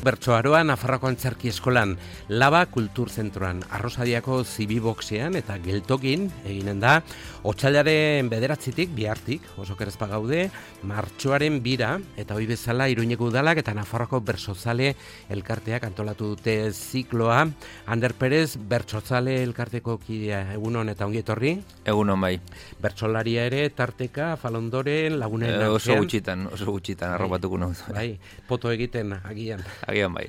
Bertsoaroa Nafarroako Antzerki Eskolan, Laba Kulturzentroan, Arrosadiako Zibiboxean eta Geltokin eginen da, otsailaren 9-tik, bihartik, oso kerezpa gaude, martxoaren 2 eta hoi bezala Iruñeko Udalak eta Nafarroako Bertsozale elkarteak antolatu dute zikloa. Ander Perez, Bertsozale elkarteko kidea, egunon eta ongi etorri. Egunon bai. Bertsolaria ere, tarteka, falondoren, lagunen artean. Oso gutxitan, arropatuko nahi. Bai, poto egiten agian. Agian bai.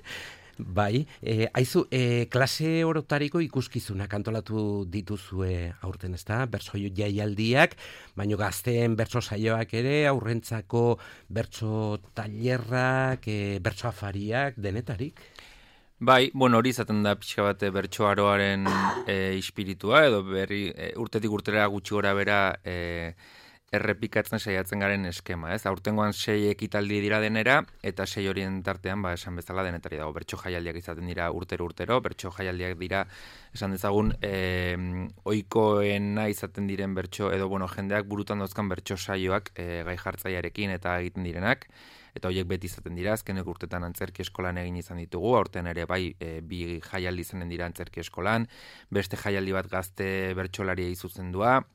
Bai, aizu, klase orotariko ikuskizunak antolatu dituzue aurten, ezta? Bertso jaialdiak, baino gazteen bertso saioak ere, aurrentzako bertso tailerrak, bertso afariak, denetarik? Bai, hori izaten da pixka bat bertsoaroaren ispiritua, edo urtetik urtera gutxi gora bera errepikatzen saiatzen garen eskema, ez? Aurtengoan 6 ekitaldi dira denera, eta 6 horien tartean, esan bezala denetari dago. Bertso jaialdiak izaten dira urtero, bertso jaialdiak dira, esan dezagun, ohikoena izaten diren bertso, edo jendeak burutan dauzkan bertso saioak gai jartzaiarekin eta egiten direnak, eta horiek beti izaten dira, azkenek urtetan Antzerki Eskolan egin izan ditugu, aurten ere bai, 2 jaialdi izanen dira Antzerki Eskolan, beste jaialdi bat gazte bertsolaria zuzendua,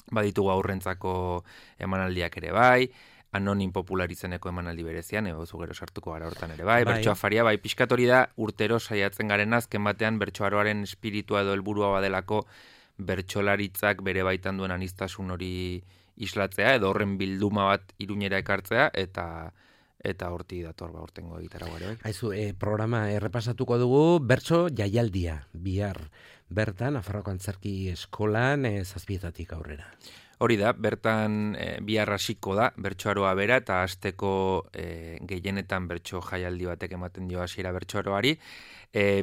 baditugu aurrentzako emanaldiak ere bai, anonim popular izeneko emanaldi berezian, zu gero sartuko gara hortan ere bai, bertso afaria, bai, pixkat hori da urtero saiatzen garen azken batean bertsoaroaren espiritua edo helburua badelako bertsolaritzak bere baitan duen aniztasun hori islatzea, edo horren bilduma bat Iruñera ekartzea, eta horti dator hortengo egitarago ere. Aizu, programa errepasatuko dugu, bertso jaialdia, bihar. Bertan, Nafarroako Antzerki Eskolan 7 aurrera. Hori da, bertan bihar hasiko da, bertsoaroa bera, eta hasteko gehienetan bertso jaialdi batek ematen dio hasiera bertsoaroari.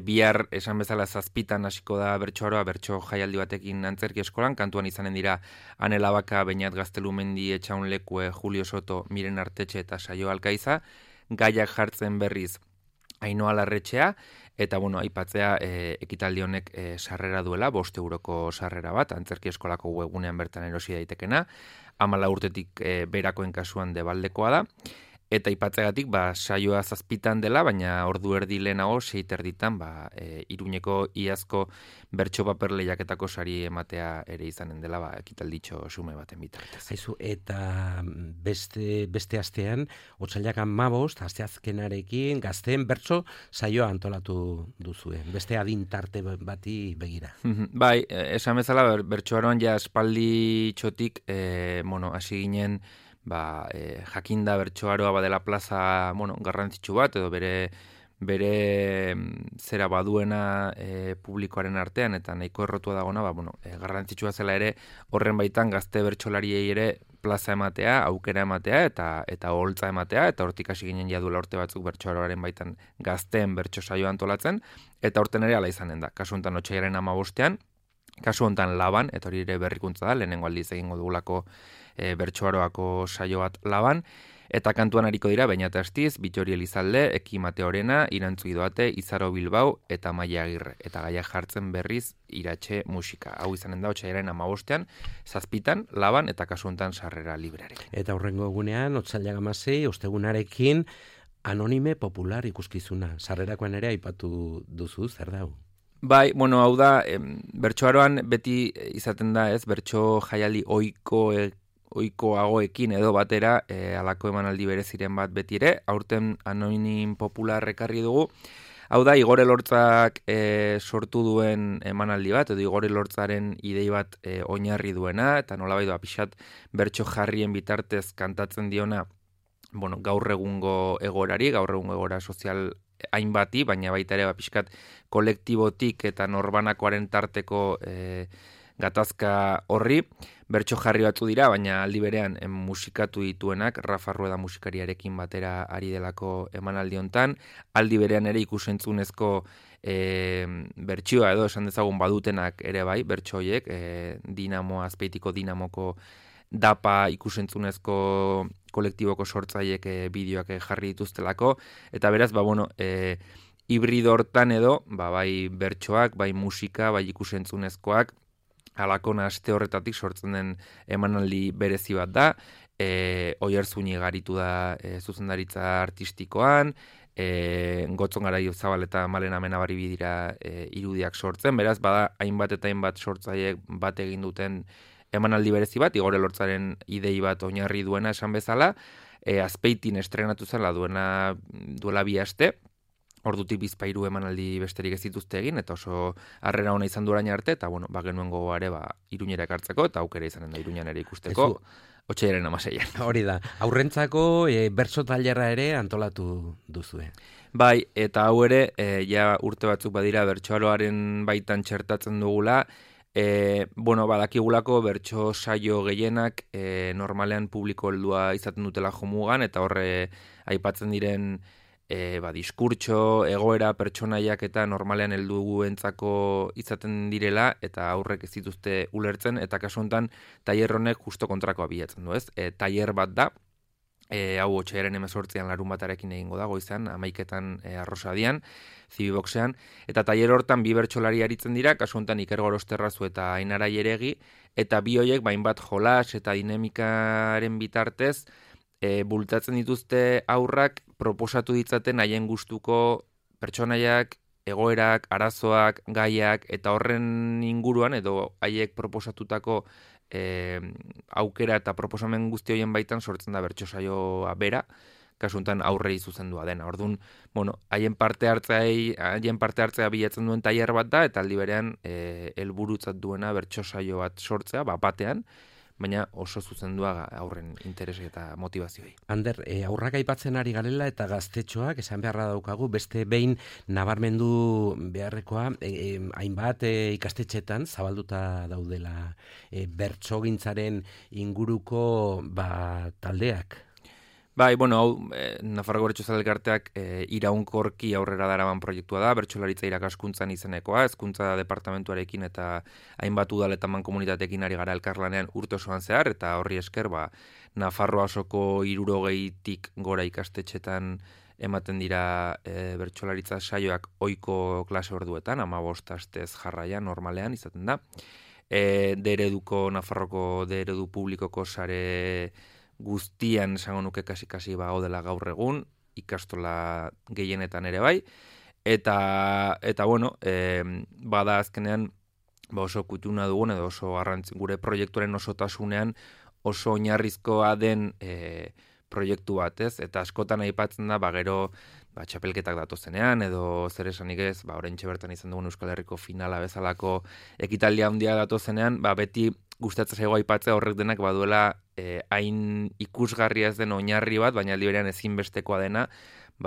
Bihar, esan bezala 7 hasiko da bertsoaroa, bertso jaialdi batekin Antzerki Eskolan, kantuan izanen dira Ane Labaka, Beñat Gaztelumendi, Etxaun Lekue, Julio Soto, Miren Artetxe eta Saio Alkaiza, gaiak jartzen berriz Ainhoa Larretxea, eta aipatzea ekitaldi honek sarrera duela, 5 euroko sarrera bat, Antzerki Eskolako webgunean bertan erosi daitekena, 14 urtetik berakoen kasuan debaldekoa da, eta aipatzeagatik saioa 7 dela, baina ordu erdi lehenago 6:30 Iruñeko iazko bertso paper lehiaketako sari ematea ere izanen dela, ekitalditxo sume baten bitartez. Aizu, eta beste astean, otsailak 15, asteazkenarekin, gazteen bertso saioa antolatu duzue. Beste adin tarte bati begira. Bai, esan bezala, bertsoaroan ja espaldi txotik, hasi ginen, jakinda bertsoaroa badela plaza, garrantzitsu bat, edo bere zera baduena publikoaren artean, eta nahiko errotua dagona, garrantzitsua zela ere, horren baitan gazte bertsolariei ere plaza ematea, aukera ematea, eta holtza ematea, eta hortik hasi ginen jaduela urte batzuk bertsoaroaren baitan gazteen bertso saioa antolatzen, eta horten ere ala izanen da. Kasu honetan otsailaren 15, kasu honetan Laban, eta hori ere berrikuntza da, lehenengo aldiz egingo dugulako bertsoaroako saio bat Laban, eta kantuan ariko dira Beñat Astiz, Bittori Elizalde, Eki Mateorena, Irantzu Idoate, Izaro Bilbao eta Maia Agirre, eta gaiak jartzen berriz Iratxe musika. Hau izanen da otsailaren 15, 7 Laban, eta kasu honetan sarrera librearekin. Eta horrengo egunean, otsailak 16, ostegunarekin, anonime popular ikuskizuna. Sarrerakoan ere aipatu duzu, zer da hau? Bai, hau da, bertsoaroan beti izaten da, bertso jaialdi ohikoagoekin edo batera, alako emanaldi bereziren bat beti ere, aurten anonim popular ekarri dugu. Hau da, Igor Elortzak sortu duen emanaldi bat, edo Igor Elortzaren idei bat oinarri duena, eta nolabait pixat bertso jarrien bitartez kantatzen diona, gaur egungo egora sozial hainbati, baina baita ere pixkat kolektibotik eta norbanakoaren tarteko gatazka horri, bertso jarri batzu dira, baina aldi berean musikatu dituenak, Rafa Rueda musikariarekin batera ari delako emanaldi hontan, aldi berean ere ikusentzunezko bertsioa edo esan dezagun badutenak ere bai, bertso horiek, Azpeitiko Dinamoko dapa ikusentzunezko kolektiboko sortzaiek bideoak jarri dituztelako, eta beraz, hibrido hortan edo, bai bertsoak, bai musika, bai ikusentzunezkoak, halakona aste horretatik sortzen den emanaldi berezi bat da, Oiartzuni garitu da zuzendaritza artistikoan, Gotzon Garai Zabal eta Malen Amenabari dira irudiak sortzen, beraz, bada hainbat eta hainbat sortzaileek bat egin duten emanaldi berezi bat, Igor Elortzaren idei bat oinarri duena esan bezala, Azpeitin estrenatu zela duela 2 aste, ordutik bizpairu emanaldi besterik ez dituzte egin, eta oso harrera ona izan du orain arte, eta bueno, genuen gogoare Iruñera ekartzeko, eta aukera izanen da Iruñan ere ikusteko, otsailaren 16. Hori da, aurrentzako bertso tailerra ere antolatu duzue. Bai, eta hau ere, ja urte batzuk badira bertsoaroaren baitan txertatzen dugula, badakigulako bertso saio gehienak normalean publiko heldua izaten dutela jomugan, eta horre aipatzen diren diskurtso, egoera, pertsonaiak eta normalean helduentzako izaten direla, eta aurrek ez dituzte ulertzen, eta kasu honetan tailer honek justo kontrakoa bilatzen du, ez? Tailer bat da, hau otsailaren 18an larun batarekin egingo da, goizean, 11etan Arrosadian, Zibiboxean, eta tailer hortan 2 bertsolari aritzen dira, kasu honetan Iker Gorosterrazu eta Ainara Jeregi, eta bi horiek bainbat jolas eta dinamikaren bitartez, bultatzen dituzte aurrak proposatu ditzaten haien gustuko pertsonaiak, egoerak, arazoak, gaiak, eta horren inguruan, edo haiek proposatutako aukera eta proposamen guzti horien baitan sortzen da bertso saioa bera, kasuntan aurrei zuzendua dena. Orduan, haien parte hartzea bilatzen duen tailer bat da, eta aldi berean helburutzat duena bertso saio bat sortzea, batean, baina oso zuzendua aurren interesi eta motivazioei. Ander, aurrak aipatzen ari garela eta gaztetxoak esan beharra daukagu, beste behin nabarmendu beharrekoa, hainbat ikastetxetan zabalduta daudela bertsogintzaren inguruko taldeak. Bai, hau, Nafarroko Bertsozale Elkarteak iraunkorki aurrera daraman proiektua da, bertsolaritza irakaskuntzan izenekoa, hezkuntza departamentuarekin eta hainbat udal eta mankomunitateekin ari gara elkarlanean urte osoan zehar, eta horri esker, Nafarroa osoko 60tik gora ikastetxetan ematen dira bertsolaritza saioak ohiko klase orduetan, 15 astez jarraian normalean izaten da. Nafarroko eredu publikoko sare guztian esango nuke kasi gaudela gaur egun, ikastola gehienetan ere bai, eta bada azkenean oso kutuna dugun, edo oso gure proiektuaren osotasunean oso oinarrizkoa den proiektu bat, ez? Eta askotan aipatzen da, gero txapelketak datozenean, edo zer esanik ez, oraintxe bertan izan dugun Euskal Herriko finala bezalako ekitaldia handia datozenean, beti gustatzen zaigu aipatzea horrek denak baduela hain ikusgarria ez den oinarri bat, baina aldi berean ezinbestekoa dena,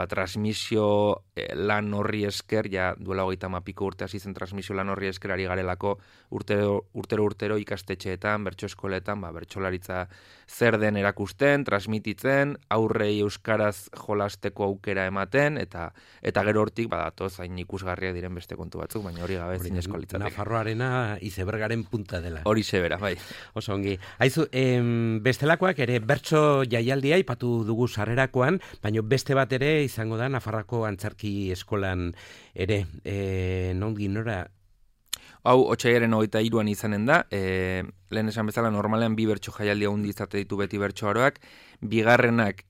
transmisio lan horri esker, duela 30 urte hasi zen transmisio lan horri esker ari garelako urtero ikastetxeetan, bertso eskoletan, bertsolaritza zer den erakusten, transmititzen, aurrei euskaraz jolasteko aukera ematen, eta gero hortik badatoz hain ikusgarria diren beste kontu batzuk, baina hori gabe zinezko litzateke. Nafarroarena izebergaren punta dela. Hori zebera, bai. Oso ongi. Aizu, bestelakoak ere bertso jaialdia ipatu dugu sarrerakoan, baina beste bat ere izango da Nafarrako Antzerki Eskolan ere. Nondik nora? Hau, otsailaren 23an izanen da, lehen esan bezala normalean 2 bertso jaialdia handi izate ditu beti bertsoaroak, bigarrenak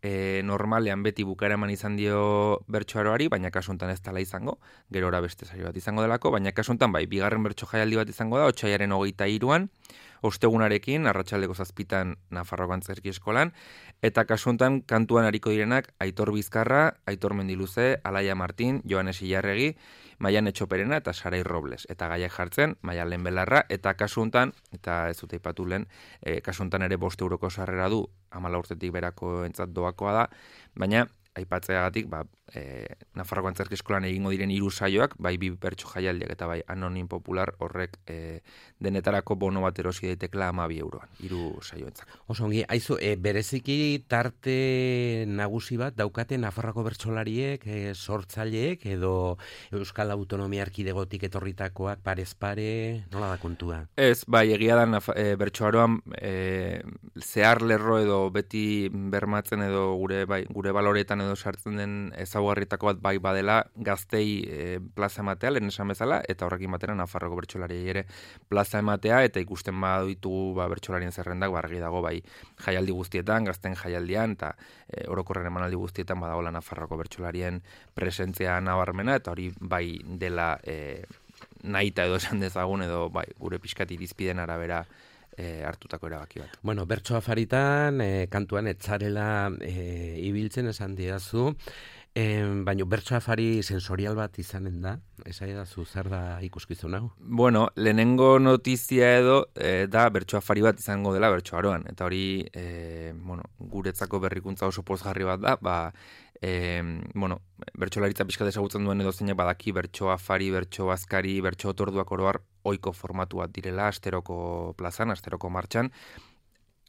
normalean beti bukaeraman izan dio bertsoaroari, baina kasu honetan ez dela izango, gerora beste saio bat izango delako, baina kasu honetan bigarren bertso jaialdi bat izango da, otsailaren 23an, ostegunarekin, arratsaldeko 7 Nafarroko Antzerki Eskolan, eta kasu honetan kantuan ariko direnak Aitor Bizkarra, Aitor Mendiluze, Alaia Martin, Joanes Ilarregi, Maian Etxoperena eta Sarai Robles. Eta gaiak jartzen, Maian Lehenbelarra, eta kasu honetan, eta ez dute aipatu lehen, kasu honetan ere 5 euroko sarrera du, 14 urtetik berako entzat doakoa da, baina aipatzeagatik, Nafarroko Antzerki Eskolan egingo diren 3 saioak, bai 2 bertso jaialdiak eta bai Anonim Popular horrek denetarako bono bat erosi daitekela 12 euroan, 3 saioentzako. Oso ongi, aizu, bereziki tarte nagusi bat daukate Nafarroko bertsolariek, sortzaileek edo Euskal Autonomia Erkidegotik etorritakoak parez pare, nola da kontua? Ez, bai, egia da bertsoaroan zehar lerro edo beti bermatzen edo gure baloretan edo sartzen den ezaugarritako bat bai badela gaztei plaza ematea, lehen esan bezala, eta horrekin batera Nafarroko bertsolariei ere plaza ematea, eta ikusten baditugu bertsolarien zerrendak, argi dago bai jaialdi guztietan, gazten jaialdian, eta orokorren emanaldi guztietan badagoela Nafarroko bertsolarien presentzia nabarmena, eta hori bai dela nahita edo esan dezagun, edo bai gure pixkat irizpiden arabera hartutako erabaki bat. Bueno, bertso afaritan, kantuan etzarela ibiltzen esan didazu, baina bertso afari sensorial bat izanen da, esan edazu zer da ikuskizun hau? Bueno, lehenengo notizia edo da bertso afari bat izango dela bertso aroan, eta hori guretzako berrikuntza oso pozgarri bat da, bertsolaritza pixkat ezagutzen duen edo zeinak badaki bertso afari, bertso azkari, bertso otorduak oroar ohiko formatu bat direla asteroko plazan, asteroko martxan.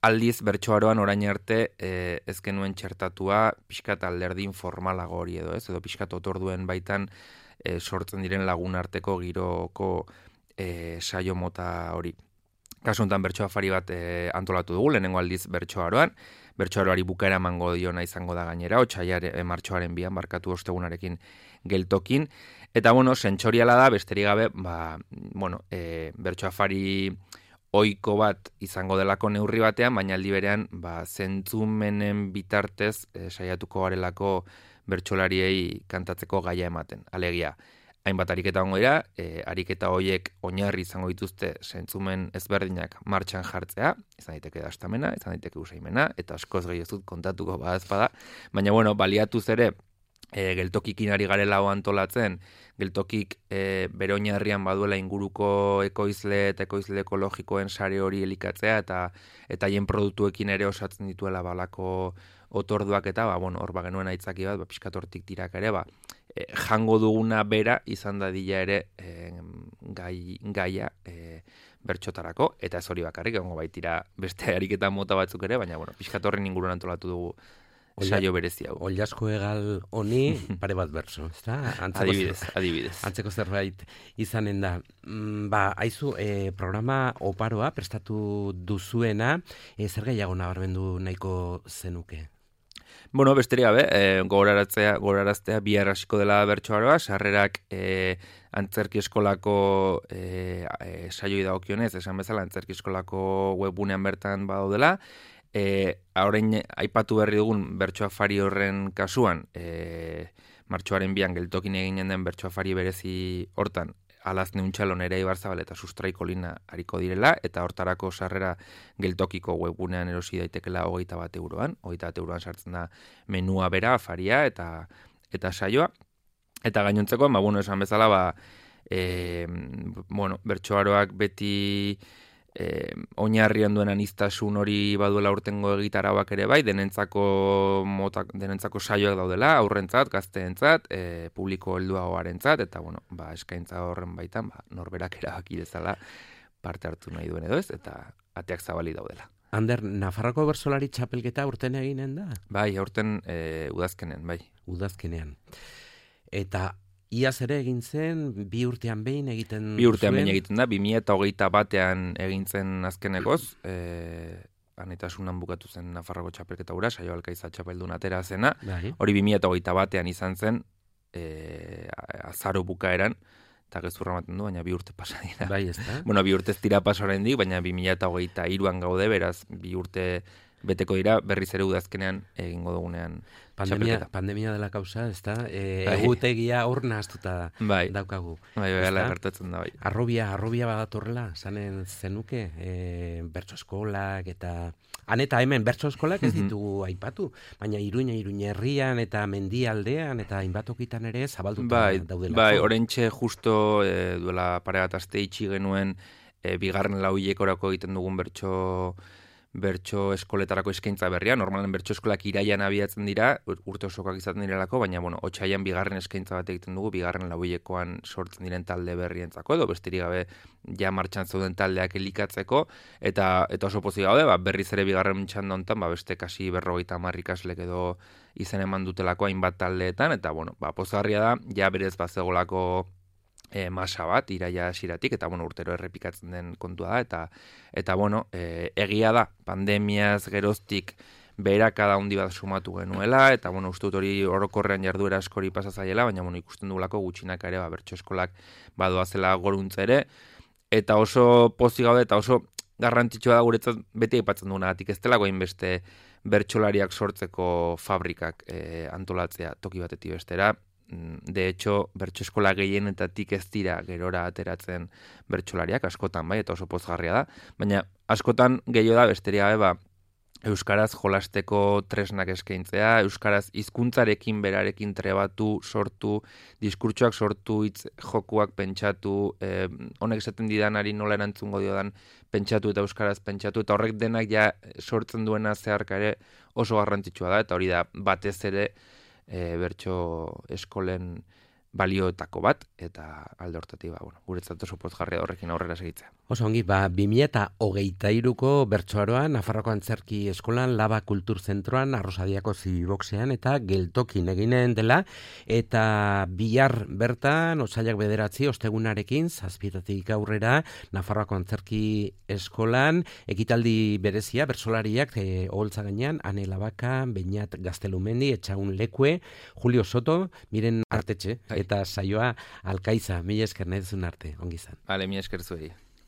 Aldiz bertsoaroan orain arte ez genuen txertatua pixkat alderdi informalago hori edo pixkat otorduen baitan sortzen diren lagun arteko giroko saio mota hori. Kasu honetan bertso afari bat antolatu dugu, lehenengo aldiz bertsoaroan, bertsoaroari bukaera emango diona izango da gainera, martxoaren 2 barkatu ostegunarekin geltokin, eta sentsoriala da, besterik gabe, bertso afari ohiko bat izango delako neurri batean, baina aldi berean zentzumenen bitartez saiatuko garelako bertsolariei kantatzeko gaia ematen. Alegia, hainbat ariketa ongo dira, ariketa horiek oinarri izango dituzte zentzumen ezberdinak martxan jartzea, izan daiteke dastamena, izan daiteke usaimena, eta askoz gehiago dut kontatuko badazpada, baina baliatuz ere, geltokikin ari garela antolatzen, geltokik bere oinarrian baduela inguruko ekoizle eta ekoizle ekologikoen sare hori elikatzea eta haien produktuekin ere osatzen dituela balako otorduak eta hor genuen aitzaki bat, pixkat hortik tirak ere, jango duguna bera izan dadila ere gaia bertxotarako, eta ez hori bakarrik, egongo baitira beste ariketa mota batzuk ere, baina pixkat horren inguruan antolatu dugu saio berezi hau. Ollasko egal honi pare bat berso, ezta? Adibidez. Antzeko zerbait izanen da. Aizu, programa oparoa prestatu duzuena, zer gehiago nabarmendu nahiko zenuke? Besterik gabe, gogoraraztea bihar hasiko dela bertsoaroa, sarrerak antzerki eskolako saioi dagokionez, esan bezala antzerki eskolako webgunean bertan badaudela. Orain aipatu berri dugun bertso afari horren kasuan, martxoaren 2 geltokin eginen den bertso afari berezi hortan, Alazne Untxalon ere Ibarzabal eta Sustraiko Lina hariko direla, eta hortarako sarrera geltokiko webgunean erosi daitekela 21 euroan. 21 euroan sartzen da menua bera, afaria eta saioa. Eta gainontzeko, esan bezala, bertsoaroak beti oinarrian duen aniztasun hori baduela urtengo egitarauak ere bai, denentzako saioak daudela, aurrentzat, gazteentzat, publiko helduagoarentzat, eta eskaintza horren baitan, norberak erabaki dezala parte hartu nahi duen edo ez, eta ateak zabali daudela. Ander, Nafarroko bertsolari txapelketa urten eginen da? Bai, aurten udazkenean, bai. Udazkenean. Eta iaz ere egin zen, 2 urtean behin egiten 2 urtean behin egiten da, 2021 egin zen azkenekoz, anetasunan bukatu zen Nafarroko txapelketa ura, Saio Alkaiza txapeldun atera zena, hori 2021 izan zen, azaro bukaeran, eta gezurra ematen du, baina 2 urte pasa dira. Bai, ez da? 2 urte ez dira pasa oraindik, baina 2023an gaude, beraz, 2 urte beteko dira, berriz ere udazkenean egingo dugunean txapelketa. Pandemia dela kausa, ez da? Egutegia hor nahaztuta daukagu. Bai, gertatzen da, bai. Arrobia badatorrela, zanen zenuke, bertso eskolak eta... Han eta hemen bertso eskolak ez ditugu aipatu, baina Iruña herrian eta mendialdean eta hainbatokitan ere zabalduta daudelako. Bai, oraintxe justo duela pare bat aste itxi genuen bigarren lauhilekorako egiten dugun bertso eskoletarako eskaintza berria. Normalen bertso eskolak iraian abiatzen dira, urte osokoak izaten direlako, baina otsailean bigarren eskaintza bat egiten dugu, bigarren lauhilekoan sortzen diren talde berrientzako, edo besterik gabe ja martxan zeuden taldeak elikatzeko, eta oso pozik gaude, berriz ere bigarren txanda honetan, beste kasi 50 ikaslek edo izen eman dutelako hainbat taldeetan, eta pozgarria da, ja berez bazegolako masa bat, iraia hasiratik, eta urtero errepikatzen den kontua da, eta egia da, pandemiaz geroztik beherakada handi bat sumatu genuela, eta uste dut hori orokorrean jarduera askori pasazaiela, baina ikusten dugulako gutxinaka ere bertso eskolak badoazela goruntza ere, eta oso pozik gaude, eta oso garrantzitsua da guretzat beti aipatzen dugunagatik, ez delako hainbeste bertsolariak sortzeko fabrikak antolatzea toki batetik bestera. De hecho, bertso eskola gehienetatik ez dira gerora ateratzen bertsolariak, askotan bai, eta oso pozgarria da, baina askotan gehiago da besteria euskaraz jolasteko tresnak eskaintzea, euskaraz hizkuntzarekin berarekin trebatu, sortu, diskurtsoak sortu, hitz jokuak pentsatu, honek esaten didanari nola erantzungo diodan pentsatu eta euskaraz pentsatu, eta horrek denak ja sortzen duena zeharka ere oso garrantzitsua da, eta hori da batez ere bertso eskolen balioetako bat, eta alde hortatik, guretzat oso pozgarria horrekin aurrera segitzea. Oso ongi, 2023ko bertsoaroan, Nafarroako Antzerki Eskolan, Laba Kultur Zentroan, Arrosadiako Zibiboxean eta Geltokin eginen dela, eta bihar bertan, otsailak 9 ostegunarekin, 7 aurrera, Nafarroako Antzerki Eskolan, ekitaldi berezia, bertsolariak, oholtza gainean, Ane Labaka, Beñat Gaztelumendi, Etxaun Lekue, Julio Soto, Miren Artetxe, eta saioa Alkaiza, mila esker nahi duzun arte, ongi izan. Mila esker zuei.